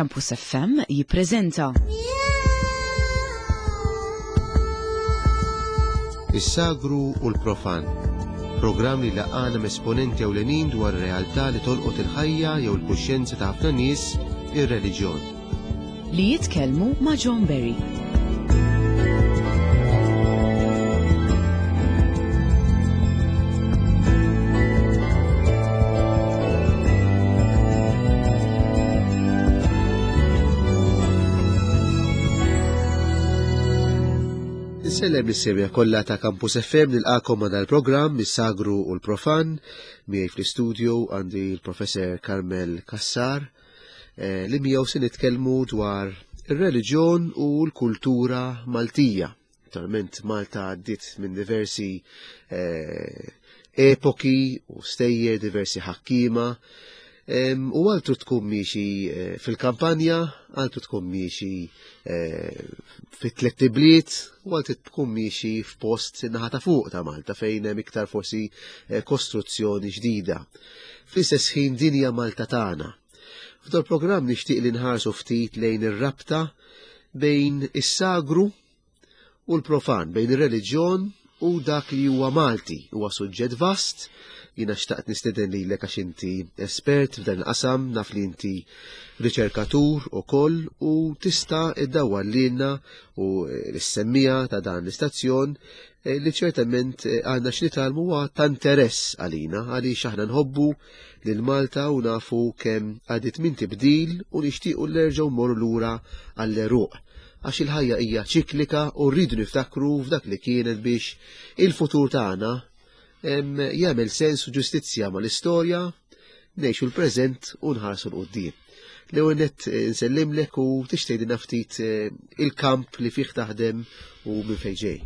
Campus FM jippreżenta. Is-sagru u l-profan. Programm li laqana m'esponenti ewlenin dwar realtà li tolqot il-ħajja jew il-kuxjenza ta' ħafna nies, ir-reliġjon. Li jitkellmu ma' John Berry. Insellem lis-semja kollha ta' Campus FM nilqakom ma' dal-programm is-Sagru u l-Profan miegħi fl-istudio għandi l-Professor Carmel Cassar eh, li miegħu se nitkellmu dwar ir-reliġjon u l-kultura Maltija. Naturalment Malta għaddiet minn diversi eh, epoki u stejjer, diversi ħakkiema. U għaltu tkun miexi eh, fil-kampanja, għaltu tkun miexi eh, fit-tlet bliet, u għaltu tkun miexi f'post naħa ta' fuq ta' Malta fejn hemm iktar forsi kostruzzjoni ġdida. Fl-istess ħin dinja Malta tagħna. F'dol programm nixtieq li nħarsu ftit lejn ir-rabta bejn is-sagru u l-profan, bejn ir-reliġjon u dak li huwa Malti. Huwa suġġett vast, jiena xtaqt nistieden lilek għax inti espert f'dan il-qasam, naf li inti riċerkatur ukoll u tista' iddawwar lilna u l-semmija ta' dan l-istazzjon eh, li ċertament eh, għandna x'nitgħallmu huwa ta' interess għalina għaliex aħna nħobbu lil Malta u nafu kemm għadiet minn tibdil u nixtiequ nerġgħu mmorru lura għall-għeruq. Għax il-ħajja hija ċiklika u rridu niftakru f'dak li kienet biex il-futur tagħna jagħmel sens u ġustizzja mal-istorja, ngħixu l-preżent u nħarsu 'l quddiem. L-ewwel nett eh, nsellimlek u tixtieqilna ftit eh, il-kamp li fih taħdem u minn fejn ġej.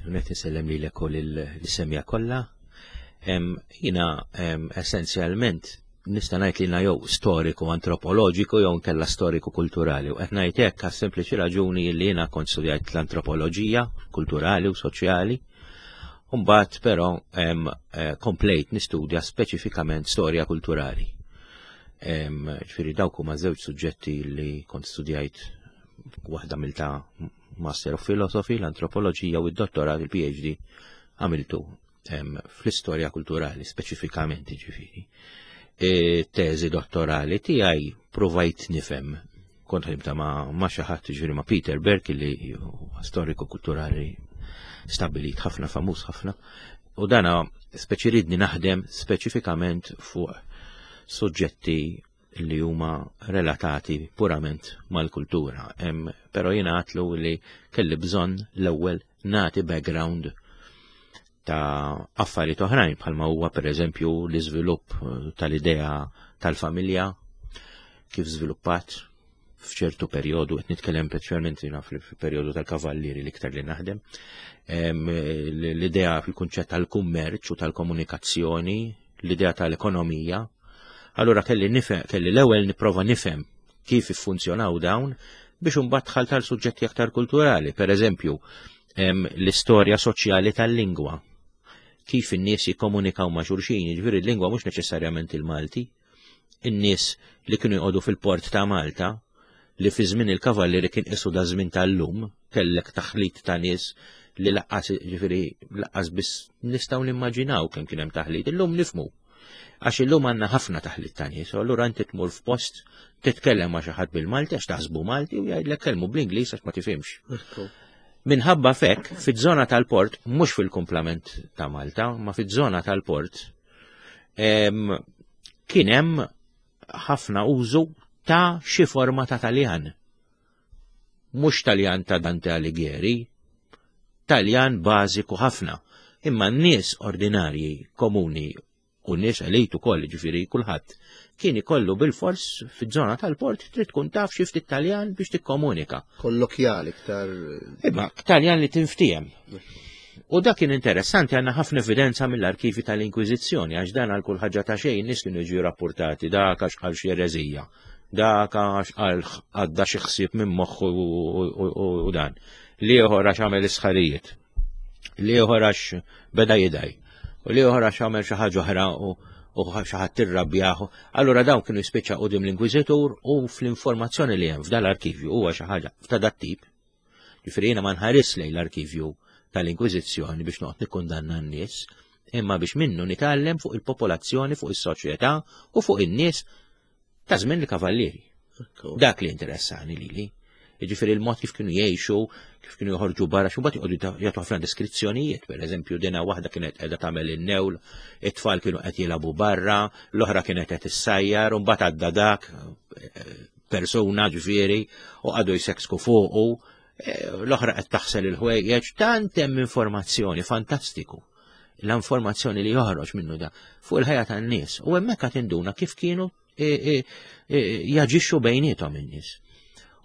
Nett insellem lilek u lill-semja kollha. Jiena essenzjalment nista' ngħid li jew storiku antropoloġiku jew nkella storiku kulturali. U qed ngħid hekk għas sempliċi raġuni li jiena kont studjajt l-antropoloġija kulturali u soċjali. Mbagħad però eh, komplejt nistudja speċifikament storja kulturali. Ġifieri dawk huma żewġ suġġetti li kont studjajt waħda mill ta' Master of Philosophy, l-antropoloġija u d-dottorat, il-PhD, għamiltu fl-istorja kulturali speċifikament ġifieri. E, teżi dottorali tiegħi provajt nifhem kont ħdimta ma' ma' xi ħadd ġifieri ma' Peter Berk li huwa storiku kulturali stabilit ħafna famuż ħafna. U dana speċi ridni naħdem speċifikament fuq suġġetti li huma relatati purament mal-kultura. Però jiena għatlu li kelli bżonn l-ewwel nagħti background ta' affarijiet oħrajn bħalma huwa pereżempju l-iżvilupp eh, tal-idea tal-familja kif żviluppat f'ċertu perjodu, qed nitkellem speċjalment jiena fil-perjodu tal-kavallieri l-iktar li naħdem, l-idea fil-kunċett tal-kummerċ u tal-komunikazzjoni, l-idea tal-ekonomija. Allura kelli nifhem, kelli l-ewwel nipprova nifhem kif iffunzjonaw dawn biex imbagħad dħalt għal suġġetti aktar kulturali, per eżempju, l-istorja soċjali tal-lingwa. Kif in-nies jikkomunikaw ma' xulxin, jiġifieri l-lingwa mhux neċessarjament il-Malti. In-nies li kienu jqogħdu fil-port ta' Malta, li fi żmien il-kavallieri kien qisu da żmien tal-lum, kellek taħlit ta' nies li laqqas ġifieri laqqas biss nistgħu nimmaġinaw kemm kien hemm taħlit. Illum nifmu. Għax illum għandna ħafna taħlit ta' nies, u allura inti tmur f'post titkellem ma' xi ħadd bil-Malti għax taħsbu Malti u jgħidlek kellmu bl-Ingliż għax ma tifhimx. Minħabba fek, fiż-żona tal-port, mhux fil-kumplament ta' Malta, ma fiż-żona tal-port, kien hemm ħafna użu ta' xi forma ta' Taljan. Mhux Taljan ta' Dante Alighieri, Taljan bażiku ħafna, imma n-nies ordinarji komuni u nies elit ukoll, ġifieri kulħadd, kien ikollu bil-fors fiż-żona tal-port trid tkun taf xi ftit Taljan biex tikkomunika. Kollokjali iktar. Imma Taljan li tinftiehem. U dak kien interessanti għandna ħafna evidenza mill-arkivi tal-Inkwiżizzjoni għax dan għal kull ħaġa ta' xejn nies kienu jiġu rapportati dak għax qal xi ereżija, dak għax qal għadda xi ħsieb minn moħħu u dan. L-ieħor għax għamel isħarijiet. L-ieħor għax beda jidaj. U l-ieħor għax għamel xi ħaġa oħra u. u xi ħadd irrabjah. Allura dawn kienu jispiċċa qudiem l-Inkwiżitur u fl-informazzjoni li hemm f'dal-arkivju huwa xi ħaġa ta' dat-tip. Ġifieri jiena ma nħares lejn l-arkivju tal-Inkwiżizzjoni biex noqgħod nikkundanna n-nies, imma biex minnu nitgħallem fuq il-popolazzjoni, fuq is-soċjetà u fuq in-nies ta' żmien il-kavallieri. Dak li interessani lili. Jiġifieri l-mod kif kienu jgħixu, kif kienu joħorġu barra, xi mbagħad joqogħdu jagħtu ħafna deskrizzjonijiet, pereżempju dina waħda kienet qiegħda tagħmel in-newl, it-tfal kienu qed jilagħbu barra, l-oħra kienet qed issajjar, u mbagħad għadda dak eh, persuna ġifieri u qagħdu jseksku fuqu, eh, l-oħra qed taħsel il-ħwejjeġ, tant hemm informazzjoni fantastiku l-informazzjoni li joħroġ minnu da fuq il-ħajja tan-nies u hemmhekk qed induna kif kienu e, e, e, jaġixxu bejniethom in-nies.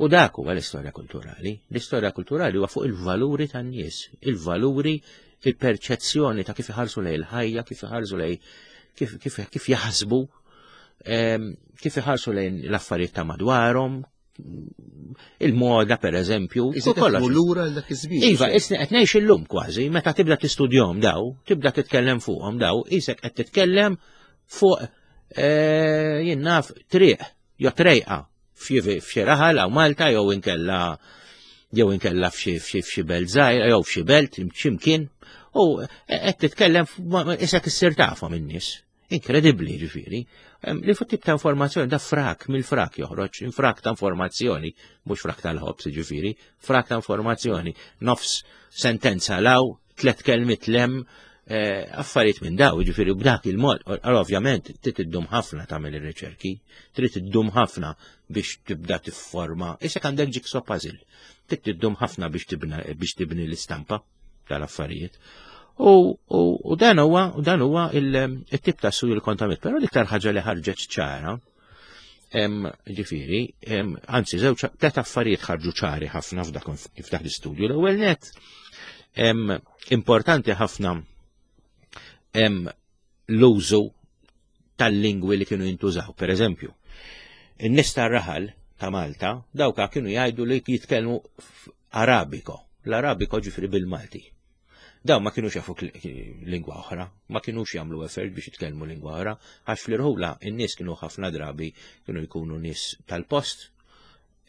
U dak huwa l-istorja kulturali. L-istorja kulturali huwa fuq il-valuri tan-nies, il-valuri, il-perċezzjoni ta' kif iħarsu lejn il-ħajja, kif iħarsu lejn kif, kif, kif jaħsbu, kif iħarsu lejn l-affarijiet ta' madwarhom, il-moda per eżempju. Kollox. Lura l dak iż-żmien. Iva, isni qed ngħix illum kważi, meta tibda tistudjhom daw, tibda titkellem fuqhom daw, isek qed titkellem fuq eh, jien naf triq jew trejqa f'xi raħal hawn Malta jew inkella jew inkella f'xi f'xi belt żgħira jew f'xi belt x'imkien u qed titkellem isek issir tafhom in-nies. Inkredibbli ġifieri. Li fuq tip ta' informazzjoni da frak mill-frak joħroġ, frak ta' informazzjoni, mhux frak tal-ħobs ġifieri, frak ta' informazzjoni, nofs sentenza law, tlet kelmiet lem, eh, affarijiet minn daw, ġifieri b'dak il-mod, ovvjament trid iddum ħafna tagħmel ir-riċerki, trid iddum ħafna biex tibda tifforma, isek għandek jigsaw puzzle, trid iddum ħafna biex tibni l-istampa tal-affarijiet. U, u, u dan huwa u dan huwa il-tip ta' studju li kont għamilt, però l-iktar ħaġa li ħarġet ċara, ġifieri, anzi żewġ tliet affarijiet ħarġu ċari ħafna f'dak f'dak l-istudju. L-ewwel net importanti ħafna l-użu tal-lingwi li kienu jintużaw. Per eżempju, in-nies tar-raħal ta' Malta, dawka kienu jgħidu li jitkellmu Arabiko. L-Arabiko ġifieri bil-Malti. Daw ma kienux jafu lingwa oħra, ma kienux jagħmlu effort biex jitkellmu lingwa oħra, għax fl-irħula in-nies kienu ħafna drabi kienu jkunu nies tal-post,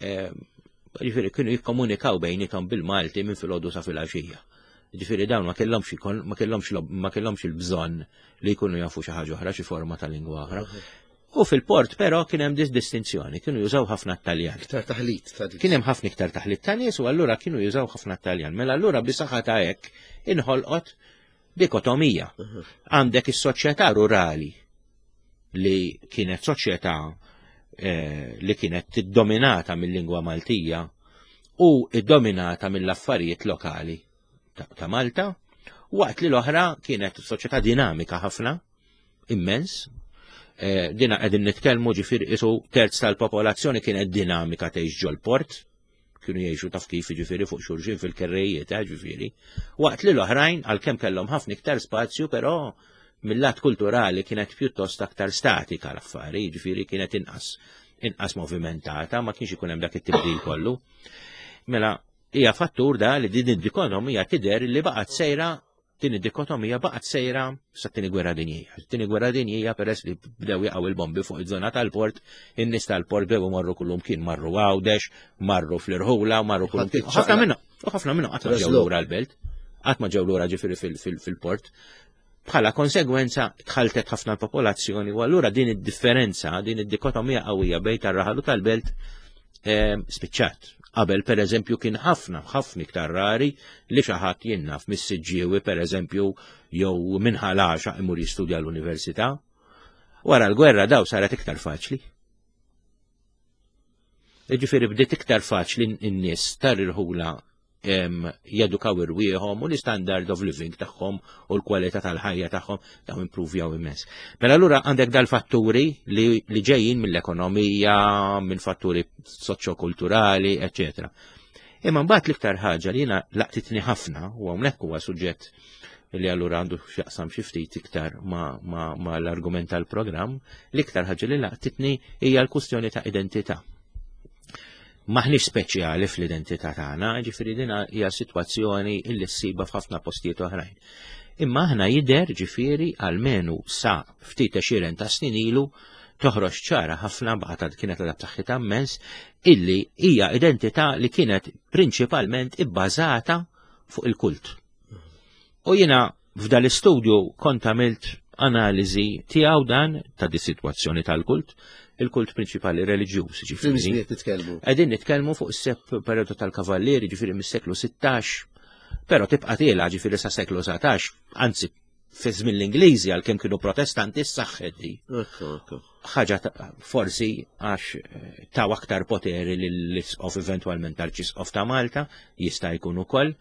ġifieri kienu jikkomunikaw bejnietom bil-Malti minn filgħodu sa filgħaxija. Ġifieri dawn ma kellhomx ma kellhomx ma kellhomx il-bżonn li jkunu jafu xi ħaġa oħra, xi forma ta' lingwa oħra. U fil-port però kien hemm dis distinzjoni, kienu jużaw ħafna Taljan. Iktar taħlit ta' Kien hemm ħafna iktar taħlit ta' nies u allura kienu jużaw ħafna Taljan. Mela allura bisaħħa ta' hekk inħolqot dikotomija. Għandek is-soċjetà rurali li kienet soċjetà eh, li kienet tiddominata mill-lingwa Maltija u iddominata mill-affarijiet lokali ta' Malta, waqt li l-oħra kienet soċjetà dinamika ħafna, immens. Eh, dina qegħdin nitkellmu ġifieri isu terz tal-popolazzjoni kienet dinamika tgħix ġol-port, kienu jgħixu taf kif ġifieri fuq xulxin fil-kerrejiet, eh, ġifieri. Waqt li l-oħrajn għalkemm kellhom ħafna iktar spazju, però mill-lat kulturali kienet pjuttost aktar statika l-affari, ġifieri kienet inqas inqas movimentata, ma kienx ikun hemm dak it-tibdil kollu. Mela, hija fattur da li din id-dikotomija tidher li baqgħet sejra din id-dikotomija baqgħet sejra sat-tieni gwerra dinjija. Tieni gwerra dinjija peress li bdew jaqgħu il-bombi fuq iż-żona tal-port, in-nies tal-port bdew imorru kullum kien marru Għawdex, marru fl-irħula, marru kullum kien. Ħafna minnhom, u ħafna minnhom qatt ma ġew lura l-belt, qatt ma ġew lura ġifieri fil-port. Bħala konsegwenza tħaltet ħafna l-popolazzjoni u allura din id-differenza, din id-dikotomija qawwija bejn tar-raħal u tal-belt spiċċat. Qabel per eżempju kien ħafna, ħafna iktar rari li xi ħadd jinnaf mis-Siġġiewi per eżempju jew minn Ħal Għaxaq imur jistudja l-università. Wara l-gwerra daw saret iktar faċli. Jiġifieri bdiet iktar faċli n-nies tar-irħula jedukaw irwieħhom u l-standard of living tagħhom u l-kwalità tal-ħajja tagħhom daw impruvjaw immens. Mela allura għandek dal-fatturi li, li ġejjin mill-ekonomija, minn fatturi soċjokulturali, eċetera. Imma mbagħad l-iktar ħaġa li jiena laqtitni ħafna u hawnhekk huwa suġġett li allura għandu x'jaqsam xi ftit iktar ma, ma, ma l-argument tal-programm, l-iktar ħaġa li laqtitni hija l-kwistjoni ta' identità maħniex speċjali fl-identità tagħna, ġifieri din hija sitwazzjoni illi ssiba f'ħafna postijiet oħrajn. Imma aħna jidher ġifieri almenu sa ftit għexieren ta' snin ilu toħroġ ċara ħafna baqgħet kienet għadha b'saħħitha immens illi hija identità li kienet prinċipalment ibbażata fuq il-kult. U jiena f'dal istudju kont għamilt analiżi tiegħu dan ta' di sitwazzjoni tal-kult, il-kult prinċipali reliġjuż, ġifieri. nitkellmu. Qegħdin nitkellmu fuq is-sep periodu tal-Kavallieri, ġifieri mis-seklu 16, però tibqa' tiela ġifieri sa seklu 19, anzi fi żmien l-Ingliżi għalkemm kienu protestanti s-saħħet di. Ħaġa forsi għax eh, taw aktar poteri lill-isqof eventwalment tal-ċisqof ta' Malta, jista' jkun ukoll.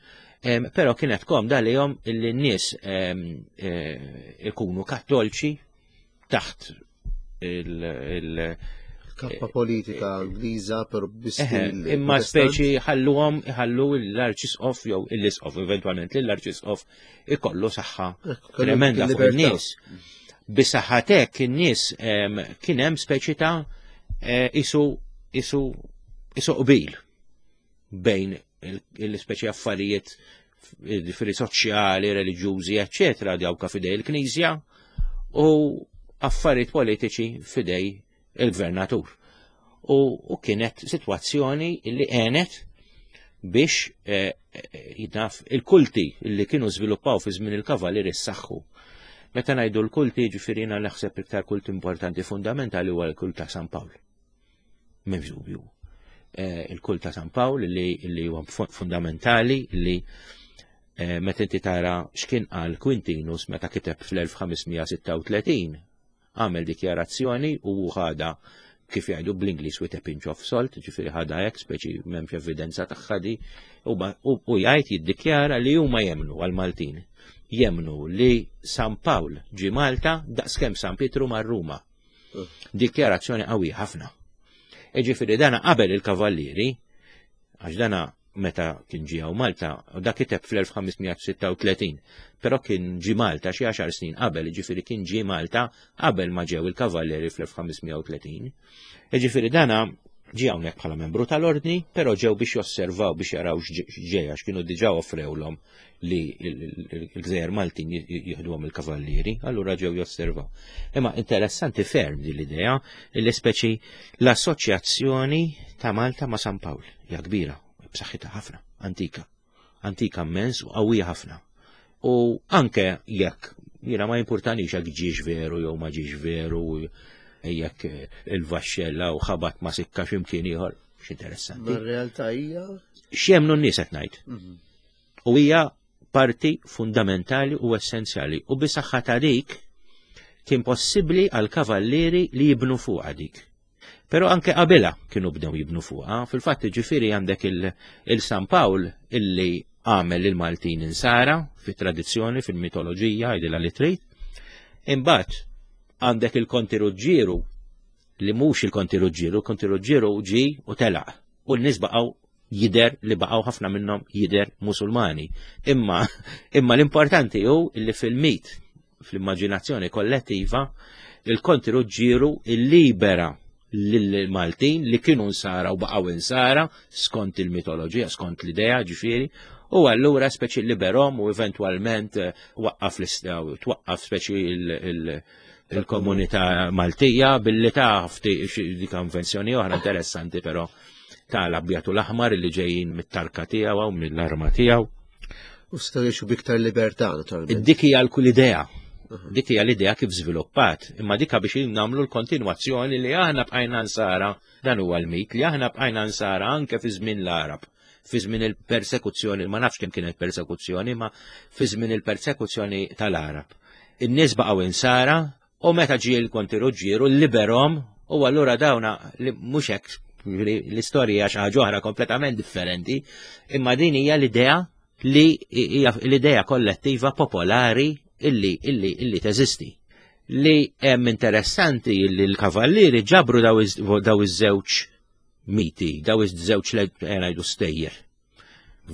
Però kienet komda lihom illi n-nies eh, ikunu kattolċi taħt il- Kappa politika Ingliża per bistil. Imma speċi ħalluhom ħallu l-arċisqof jew l-isqof eventwalment l-arċisqof ikollu saħħa tremenda fuq in-nies. Bisaħħatek in-nies kien hemm speċi ta' eh, isu isu isu qbil bejn il-speċi affarijiet ġifieri soċjali, reliġjużi, eċċetera, dawka fidej il-Knisja u affarijiet politiċi fidej il-gvernatur. U, u kienet sitwazzjoni li għenet biex eh, eh, jitnaf il-kulti li kienu żviluppaw fi żmien il-kavalieri ssaħħu. Meta ngħidu l-kulti ġifieri jiena naħseb iktar kult importanti fundamentali huwa l-kult ta' San Pawl. M'hemmx dubju. Eh, il-kult ta' San Pawl li huwa fundamentali li eh, meta inti tara x'kien qal Quintinus meta kiteb fl-1536 għamel dikjarazzjoni u ħada kif jgħidu bl-Ingliż with a pinch of salt, ġifieri ħada hekk speċi m'hemmx evidenza tagħha di, u jgħid jiddikjara li huma jemnu għal-Maltin. Jemnu li San Pawl ġi Malta daqskemm San Pietru mar Ruma. Dikjarazzjoni qawwija ħafna. Ġifieri dana qabel il-kavallieri, għax dana meta kien ġie hawn Malta, u da kiteb fl-1536, però kien ġie Malta xi għaxar snin qabel, ġifieri kien ġie Malta qabel ma ġew il-kavallieri fl-1530. Ġifieri dana ġie hawnhekk bħala membru tal-ordni, però ġew biex josservaw biex jaraw x'ġej għax kienu diġà offrewlhom li l-gżejjer Maltin jieħduhom il-kavallieri, allura ġew josservaw. Imma interessanti ferm din l-idea li speċi l-assoċjazzjoni ta' Malta ma' San Pawl hija kbira, b'saħħitha ħafna, antika. Antika immens u qawwija ħafna. U anke jekk jiena ma jimpurtanix jekk ġiex veru jew ma ġiex veru jekk il-vaxxella u ħabat ma sikka x'imkien ieħor, x'interessanti. Ma r-realtà hija X'jemnu n-nies qed ngħid. Mhm. U hija parti fundamentali u essenzjali u bisaħħa ta' dik kien possibbli għal kavallieri li jibnu fuqha dik. Però anke qabilha kienu bdew jibnu fuqha, fil-fatt ġifieri għandek il-San Pawl illi għamel il-Maltin insara fit-tradizzjoni, fil-mitoloġija, jidilha li trid. Imbagħad għandek il-Konti Ruġġieru li mhux il-Konti Ruġġieru, il-Konti Ruġġieru ġi u telaq u n-nies baqgħu jider li baqgħu ħafna minnhom jider Musulmani. Imma imma l-importanti hu li fil-mit, fl-immaġinazzjoni kollettiva, il-Konti Ruġġieru illibera lill-Maltin li kienu nsara u baqgħu insara skont il-mitoloġija, skont l-idea ġifieri, u allura speċi liberhom u eventwalment eh, waqqaf twaqqaf speċi il-komunità Maltija billi taf dik invenzjoni oħra interessanti però ta' l-abjad u l-aħmar li ġejjin mit-tarka tiegħu u mill-arma tiegħu. U setgħu jgħixu biktar libertà naturalment. Dik hija l-kull idea. Dik hija l-idea kif żviluppat, imma dika biex nagħmlu l-kontinwazzjoni li aħna bqajna nsara, dan huwa l-mit, li aħna bqajna nsara anke fi żmien l-Arab fi żmien il-persekuzzjoni, ma nafx kemm kienet persekuzzjoni, ma fi żmien il-persekuzzjoni tal-Arab. In-nies baqgħu insara U meta ġie l-Konti Ruġġieru liberhom u allura dawna li mhux hekk l-istorja xi ħaġa oħra kompletament differenti, imma din hija l-idea li hija l-idea kollettiva popolari illi illi illi teżisti. Li hemm interessanti li l-kavallieri ġabru daw iż-żewġ miti, daw iż-żewġ eh, ngħidu stejjer.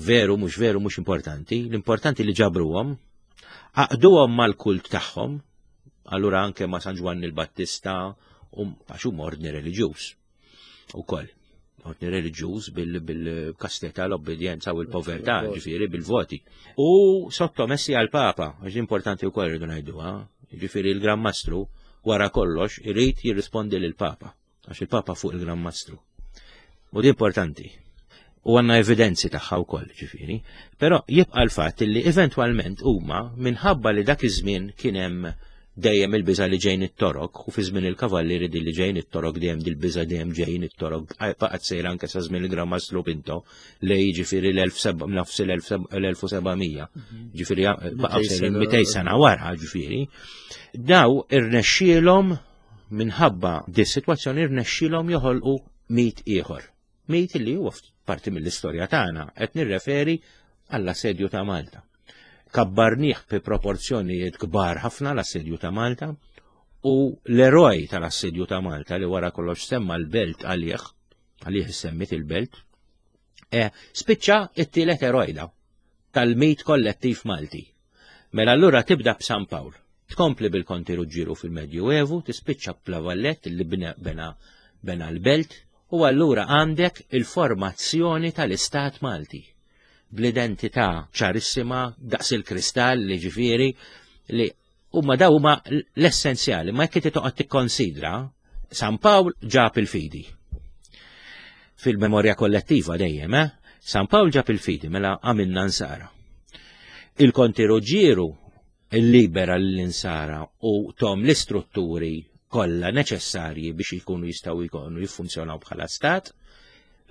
Veru, mhux veru, mhux importanti, l-importanti li ġabruhom, għaqduhom mal-kult tagħhom, allura anke ma' San Ġwanni l-Battista, u għax huma ordni reliġjuż ukoll. Ordni reliġjuż bil-kastità, l-obbedjenza u l-povertà, ġifieri bil-voti. U sottomessi għall-Papa, għax importanti wkoll irridu ngħiduha, ġifieri l-Gran Mastru wara kollox irid jirrispondi lill-Papa, għax il-Papa fuq il-Gran Mastru. U di importanti. U għanna evidenzi tagħha wkoll, ġifieri. Però jibqa' l-fatt li eventwalment huma minħabba li dak iż-żmien kien hemm dejjem il-biża' li ġejjin it-Torok u fi żmien il-Kavallieri din li ġejjin it-Torok dejjem dil-biża' dejjem ġejjin it-Torok baqgħet sejra anke sa żmien il-Gran Mastru Pinto li jiġifieri nofs l-1700 mhm. ġifieri baqgħu sejrin 200 sena wara ġifieri daw irnexxielhom minħabba di sitwazzjoni irnexxielhom joħolqu mit ieħor. Mit li huwa parti mill-istorja tagħna qed nirreferi għall-assedju ta' Malta. Kabbarnieh fi proporzjonijiet kbar ħafna l-assedju ta' Malta u l-eroj tal-assedju ta' Malta li wara kollox semma l-belt għalih, għalih semmit il-belt, e, spiċċa it-tielet eroj da tal-mit kollettiv Malti. Mela allura tibda b'San Pawl, tkompli bil-Konti Ruġġieru fil-Medju Evu, tispiċċa b'Lavallet li bena bena l-belt u allura għandek il-formazzjoni tal-Istat Malti bl-identità ċarissima daqs il-kristall li ġifieri li huma daw huma l-essenzjali, ma jekk inti toqgħod tikkonsidra San Pawl ġab il-fidi. Fil-memorja kollettiva dejjem, eh? San Pawl ġab il-fidi mela għamilna nsara. Il-Konti Ruġġieru illibera l-insara u tom l-istrutturi kollha neċessarji biex jkunu jistgħu jkunu jiffunzjonaw bħala stat.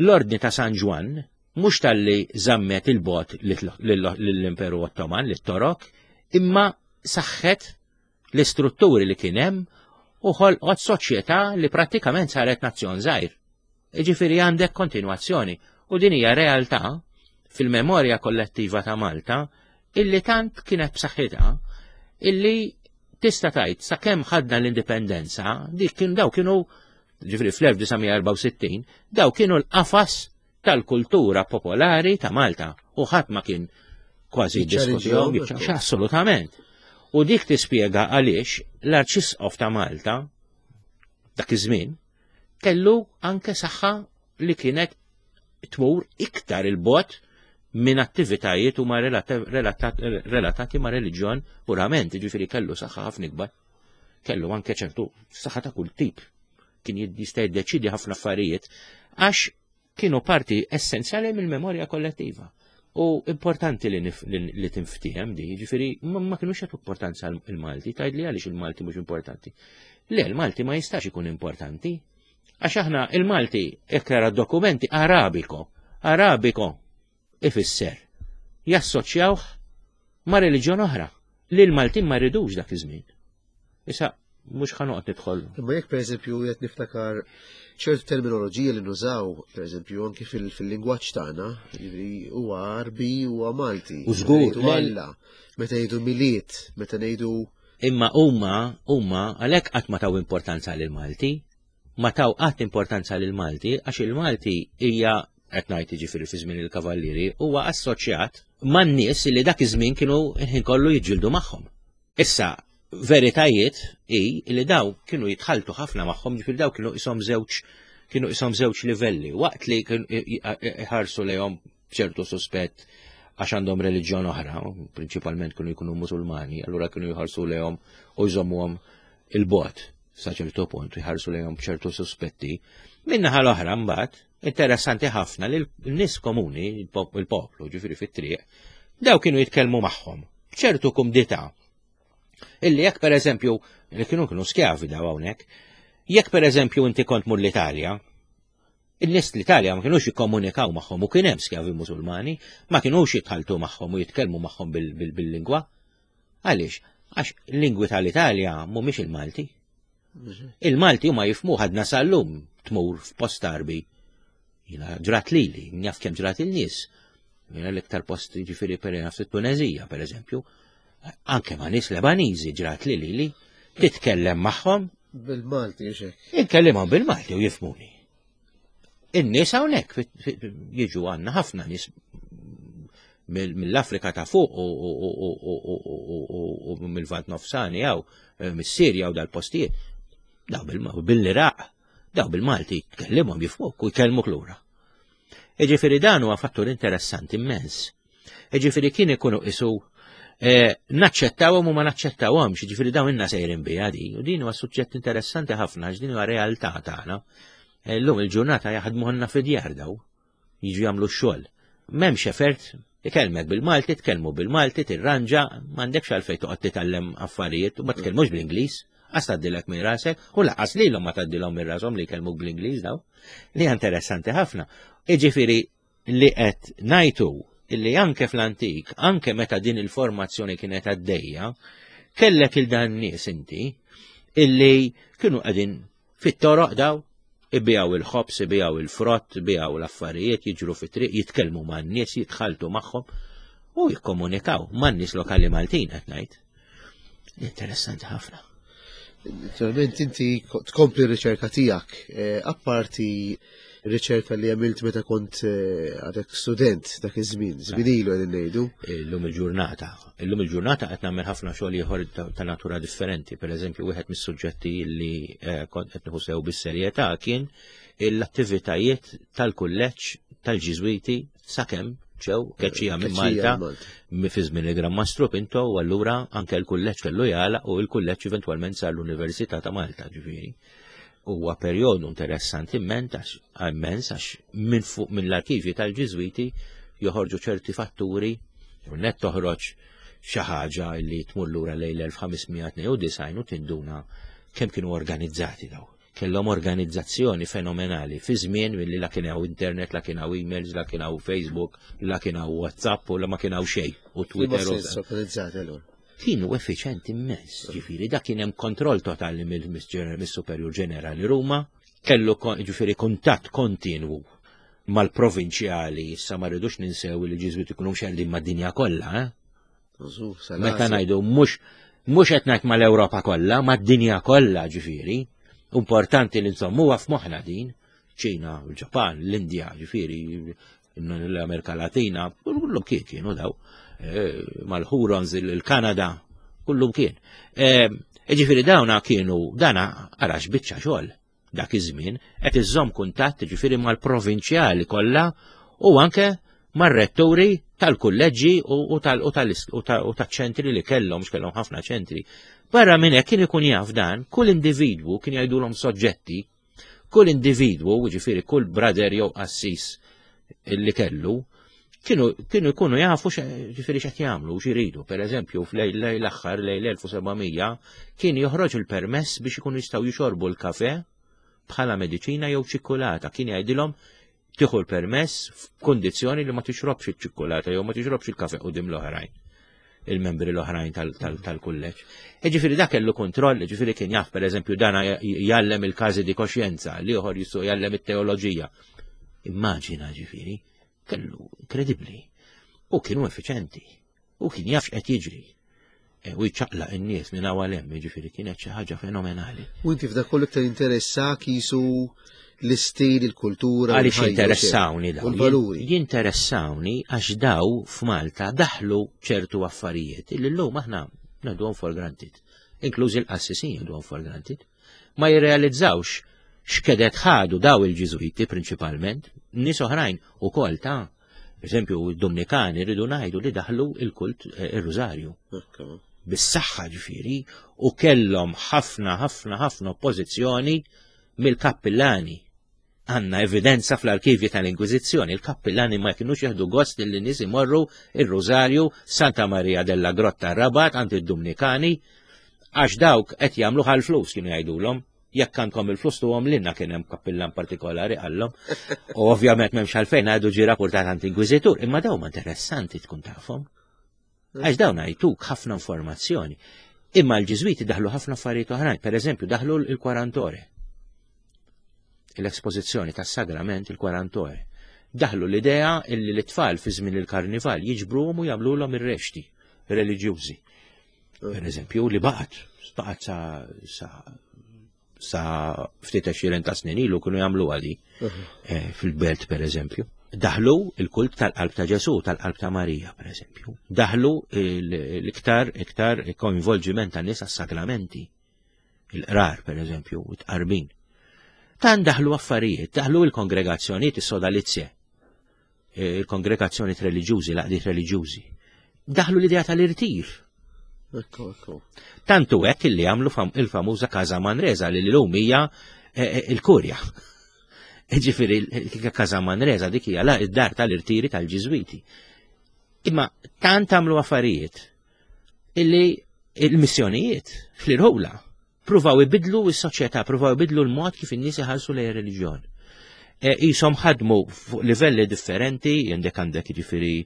L-Ordni ta' San Ġwann mhux talli żammet il-bot lill-Imperu Ottoman, lit-Torok, imma saħħet l-istrutturi li kien hemm u ħolqot soċjetà li prattikament saret nazzjon żgħir. Jiġifieri għandek kontinwazzjoni u din hija realtà fil-memorja kollettiva ta' Malta illi tant kienet b'saħħitha illi tista' tgħid sakemm ħadna l-indipendenza dik kien daw kienu ġifieri fl-1964 daw kienu l-qafas tal-kultura popolari ta' Malta u ħadd ma kien kważi jiddiskutihom, assolutament. U dik tispjega għaliex l-Arċisqof ta' Malta dak iż-żmien kellu anke saħħa li kienet tmur iktar il-bot minn attivitajiet huma relatati ma' reliġjon purament, ġifieri kellu saħħa ħafna ikbar. Kellu anke ċertu saħħa ta' kull tip. Kien jista' jiddeċidi ħafna affarijiet għax kienu parti essenzjali mill-memorja kollettiva. U importanti li, li tinftiehem di, ġifieri ma kinux jagħtu importanza il-Malti, tgħidli għaliex il-Malti mhux importanti. Le, il-Malti ma jistax ikun importanti, għax aħna il-Malti jekk tara dokumenti Arabiko, Arabiko ifisser jassoċjawh ma' reliġjon oħra li l-Maltin ma rridux dak iż-żmien. Issa mhux ħanoqgħod nidħol. Imma jekk pereżempju qed niftakar ċertu terminoloġija li nużaw, pereżempju anki fil-lingwaġġ tagħna, jiġifieri huwa Arbi huwa Malti. U żgur, Alla, meta ngħidu miliet, meta ngħidu Imma huma huma għalhekk qatt ma taw importanza lil Malti, ma taw qatt importanza lil Malti għax il-Malti hija qed ngħid jiġifieri fi żmien il-Kavallieri huwa assoċjat man-nies li dak iż-żmien kienu il-ħin kollu jiġġieldu magħhom. Issa, veritajiet hi li daw kienu jitħaltu ħafna magħhom, ġifieri daw kienu isom żewġ kienu isom żewġ livelli, waqt li kienu iħarsu lejhom b'ċertu suspett għax għandhom reliġjon oħra, prinċipalment kienu jkunu musulmani, allura kienu jħarsu lejhom u jżommuhom il-bot sa ċertu punt, jħarsu lejhom b'ċertu suspetti. Minnaħa l-oħra mbagħad, interessanti ħafna li l-nies komuni, il-poplu, ġifieri fit-triq, daw kienu jitkellmu magħhom b'ċertu kumdità. Illi jekk pereżempju, li kienu kienu skjavi daw hawnhekk, jekk pereżempju inti kont mur l-Italja, in-nies l-Italja ma kinux jikkomunikaw magħhom u kien hemm skjavi Musulmani, ma kinux jitħaltu magħhom u jitkellmu magħhom bil-lingwa. Għaliex? Għax lingwi tal-Italja mhumiex il-Malti. Il-Malti huma jifmu ħadna sal-lum tmur f'post arbi. Jina ġrat lili, njaf kemm ġrat il-nies. Jina l-iktar post ġifieri per fit-Tunezija, per eżempju. Anke ma' nies Lebaniżi ġrat li lili, titkellem magħhom. Bil-Malti, xek. Inkellimhom bil-Malti u jifmuni. In-nies hawnhekk jiġu għandna ħafna nies mill-Afrika ta' fuq u mill-Vant Nofsani jew eh, mis-Sirja u dal-postijiet. Daw bil-Iraq, daw bil-Malti tkellimhom jifmuk u jkellmuk lura. Iġifieri dan huwa fattur interessanti immens. Iġifieri kien ikunu isu eh, naċċettawhom u ma naċċettawhomx, jiġifieri dawn inna sejrin biha di, u din huwa suġġett interessanti ħafna għax din huwa realtà tagħna. Eh, llum il-ġurnata jaħdmu ħanna fid-djar daw, jiġu jagħmlu x-xogħol. M'hemmx effert, ikellmek bil-Malti, tkellmu bil-Malti, tirranġa, m'għandekx għalfejn toqgħod titgħallem affarijiet u ma tkellmux bl-Ingliż, għas tgħaddilek minn rasek, u laqas lilhom ma tgħaddilhom minn rashom li jkellmuk bl-Ingliż daw. Li interessanti ħafna. Iġifieri li qed ngħid hu illi anke fl-antik, anke meta din il-formazzjoni kienet għaddejja, kellek il dan nies inti illi kienu qegħdin fit-toroq daw, ibijaw il-ħobs, ibijaw il-frott, ibijaw l-affarijiet, jiġru fit-triq, jitkellmu man-nies, jitħaltu magħhom u jikkomunikaw man-nies lokali Maltin qed ngħid. Interessanti ħafna. Naturalment inti tkompli r-riċerka tiegħek, eh, apparti riċerka li għamilt meta kont eh, għadek student dak iż-żmien, żmien ilu qegħdin ngħidu. Illum il-ġurnata. Illum il-ġurnata qed nagħmel ħafna xogħol ieħor ta' natura differenti. Per eżempju, wieħed mis-suġġetti li eh, kont qed nieħu sew bis-serjetà kien l-attivitajiet tal-kulleġġ tal-Ġiżwiti sakemm ġew keċċija minn Malta fi żmien il-Gran Mastru Pinto u allura anke l-kulleġġ kellu jagħlaq u l-kulleġġ eventwalment sar l-Università ta' Malta ġifieri. Huwa perjodu interessanti immens għax minn fuq minn l-arkivji tal-Ġiżwiti joħorġu ċerti fatturi u net toħroġ xi ħaġa li tmur lura lejn l-1592 u tinduna kemm kienu organizzati daw. Kellhom organizzazzjoni fenomenali fi żmien milli la kien hawn internet, la kien hawn emails, la kien hawn Facebook, la kien hawn WhatsApp u la ma kien hawn xejn u Twitter. Organizzati allura. Kienu effiċenti immens, ġifieri dak kien hemm kontroll totali mill-Superjur Ġenerali Ruma, kellu ġifieri kuntatt kontinwu mal-provinċjali, issa ma rridux ninsew li Ġiżwiti ikunu mxerrdin mad-dinja kollha, eh? Meta ngħidu mhux mhux qed ngħid mal-Ewropa kollha, mad-dinja kollha ġifieri. Importanti li nżommuha f'moħħna din. ċina, il-Ġapan, l-Indja, ġifieri, l-Amerika Latina, kullum kien kienu daw, eh, mal-Hurons, il-Kanada, kullum kien. Eh, ġifieri dawna kienu, dana għarax biċċa xogħol dak iż-żmien qed iżżomm kuntatt ġifieri mal-provinċjali kollha u anke mar-retturi tal-kulleġġi u taċ-ċentri li kellhom, x'kellhom ħafna ċentri. Barra minn hekk kien ikun jaf dan, kull individwu kien jgħidulhom soġġetti, kull individwu, ġifieri kull brother jew qassis li kellu, kienu kienu jkunu jafu ġifieri x'qed jagħmlu u x'iridu. Per eżempju, f'lejl l-aħħar lejl 1700 kien joħroġ il-permess biex ikunu jistgħu jixorbu l-kafe bħala mediċina jew ċikkulata. Kien jgħidilhom tieħu l-permess f'kundizzjoni li ma tixrobx iċ-ċikkulata jew ma tixrobx il-kafe qudiem l-oħrajn il-membri l-oħrajn tal-kulleġġ. Ġifieri dak kellu kontroll, ġifieri kien jaf pereżempju dana jgħallem il-każi di koxjenza, li oħor jisu jgħallem it-teoloġija. Immaġina ġifieri, kellu inkredibbli. U kienu effiċenti. U kien jaf x'qed jiġri. E, u jċaqlaq in-nies minn hawn għal hemm, jiġifieri kienet xi ħaġa fenomenali. U inti f'dak kollu iktar interessak jisu l-istil, il-kultura. Għaliex jinteressawni daw. Il-valuri. Jinteressawni għax daw f'Malta daħlu ċertu affarijiet illi llum aħna ngħiduhom for granted. Inklużi l-qassisin jgħiduhom for granted. Ma jirrealizzawx x'kedet ħadu daw il-Ġiżwiti prinċipalment, nies oħrajn ukoll ta' eżempju, id-Dominikani rridu ngħidu li daħlu il-kult eh, ir-Rużarju. Bis-saħħa ġifieri u kellhom ħafna ħafna ħafna oppożizzjoni mill-kappillani. Għanna evidenza fl-arkivji tal-Inkwiżizzjoni, il-kappillani ma kienux jieħdu gost li nies imorru ir-Rużarju Santa Maria della Grotta Rabat għand id-Dominikani għax dawk qed jagħmlu ħal-flus kienu jgħidulhom jekk għandkom il-flus tuhom lilna kien hemm kappillan partikolari qallhom. U ovvjament m'hemmx għalfejn għadu ġie rapportat għand inkwiżitur, imma dawn ma interessanti tkun tafhom. Għax dawn għajtuk ħafna informazzjoni. Imma l-Ġiżwiti daħlu ħafna affarijiet oħrajn, per eżempju daħlu l-kwarantore. L-espożizzjoni tas-sagrament il-kwarantore. Daħlu l-idea illi l-tfal fi żmien il-karnival jiġbruhom u jagħmluhom ir-rexti reliġjużi. Per eżempju, li baqgħet, baqgħet sa, sa, sa ftit għexieren ta' snin ilu kienu jagħmlu għali eh, fil-belt per eżempju. Daħlu il-kult tal-qalb ta' Ġesu, tal-qalb ta' Marija, per eżempju. Daħlu l-iktar iktar koinvolġiment ta' nies għas-sagramenti. Il-qrar, per eżempju, it-qarbin. Tan daħlu affarijiet, daħlu il-kongregazzjonijiet, is-sodalizje. il-kongregazzjoni reliġjużi, l-għaqdiet reliġjużi. Daħlu l-idea tal-irtir. Ekku, ekku. Tantu hekk illi għamlu il-famuża Casa Manresa li l-lum hija eh, eh, il-Kurja. Ġifieri il-Casa Manresa dik hija id-dar tal-irtiri tal-Ġiżwiti. Imma tant għamlu affarijiet illi il-missjonijiet fl-irħula pruvaw ibidlu s-soċjetà, pruvaw ibidlu l-mod kif in-nies iħarsu lejn reliġjon. E, jisom ħadmu fuq livelli differenti, għandek għandek jiġifieri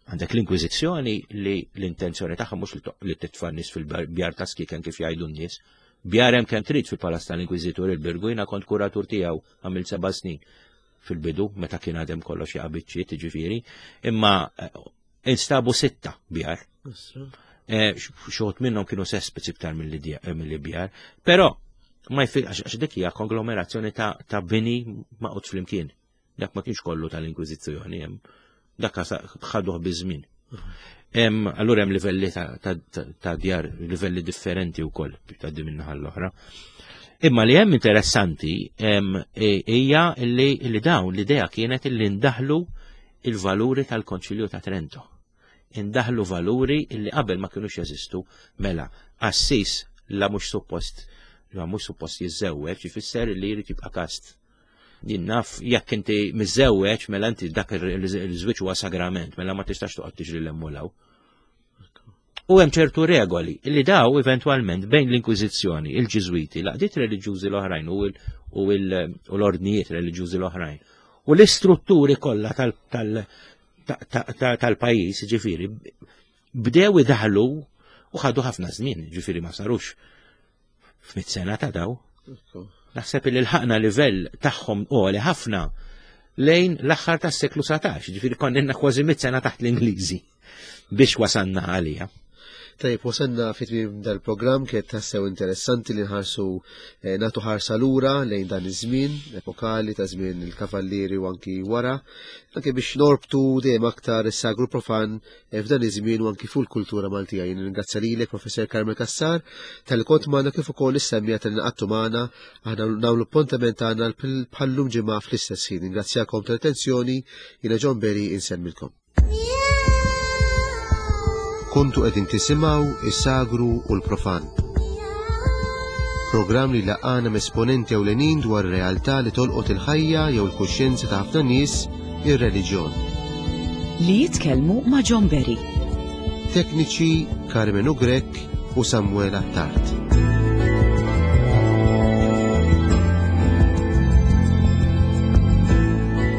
għandek l-Inkwiżizzjoni li l-intenzjoni tagħha mhux li titfa' nies fil-bjar ta' skiken kif jgħidu n-nies. Bjar hemm kemm trid fil-Palazz tal-Inkwiżitur il-Birgu jiena kont kuratur tiegħu għamil seba' snin fil-bidu meta kien għadem kollox jaqa' jiġifieri, imma eh, instabu sitta bjar. Eh, Xogħod minnhom kienu sespeċi iktar eh, mill bjar, però ma jfil għax dik hija konglomerazzjoni ta' bini maqgħod flimkien. Dak ma kienx kollu tal-Inkwiżizzjoni hemm. Dak ħaduh biż-żmien. Allura hemm livelli ta' djar, livelli differenti wkoll ta' din min-naħa l-oħra. Imma li hemm interessanti e, hija li dawn l-idea kienet li ndaħlu il-valuri tal-Konċilju ta' Trento. Indaħlu valuri li qabel ma kinux jeżistu mela qassis la mhux suppost la mhux suppost jiżżewweġ ifisser li jrid jibqa' kast. Jien naf jekk inti miżżewweġ mela inti dak il-żwieġ huwa sagrament, mela ma tistax toqgħod tiġri l-emmulaw. U hemm ċertu regoli li daw eventwalment bejn l-Inkwiżizzjoni, il-Ġiżwiti, l-għaqdiet reliġjużi l-oħrajn u l-ordnijiet reliġjużi l-oħrajn. U l-istrutturi kollha tal-pajjiż, ġifieri, bdew idaħlu u ħadu ħafna żmien, ġifieri ma sarux f'mit sena ta' daw. Naħseb li l-ħaqna livell tagħhom għoli ħafna lejn l-aħħar tas-seklu 19, ġifieri konna kważi mit sena taħt l-Ingliżi biex wasanna għalija. Tajjeb, wasanna fi tmiem dal-programm kienet tassew interessanti li nħarsu eh, nagħtu ħarsa lura lejn dan iż-żmien epokali ta' żmien il-kavallieri u anki wara, anke biex norbtu dejjem aktar is-sagru profan eh, f'dan iż-żmien u anki fuq il-kultura Maltija. Jien ringrazzja lilek Professor Carmel Cassar tal-li kont magħna kif ukoll is-semmija tal-li magħna aħna nagħmlu appuntament tagħna bħallum ġimgħa fl-istess ħin. Ringrazzjakom tal-attenzjoni, jiena John Berry insemmilkom. Kontu qegħdin tisimgħu is-sagru u l-profan. Programm li laqana esponenti ewlenin dwar realtà li tolqot il-ħajja jew il-kuxjenza ta' ħafna nies, ir-reliġjon. Li jitkellmu ma' John Berry. Tekniċi Carmenu Grech u Samuel Attard.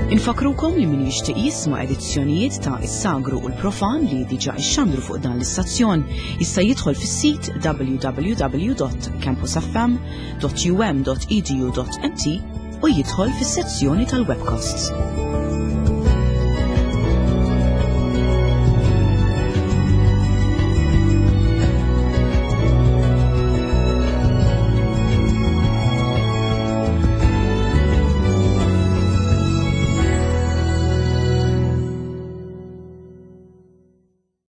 Infakrukom li min jixtieq jisma' edizzjonijiet ta' Is-Sagru u l-Profan li diġà ixxandru fuq dan l-istazzjon jista' jidħol fis-sit www.campusfm.um.edu.mt u jidħol fis-sezzjoni tal-webcasts.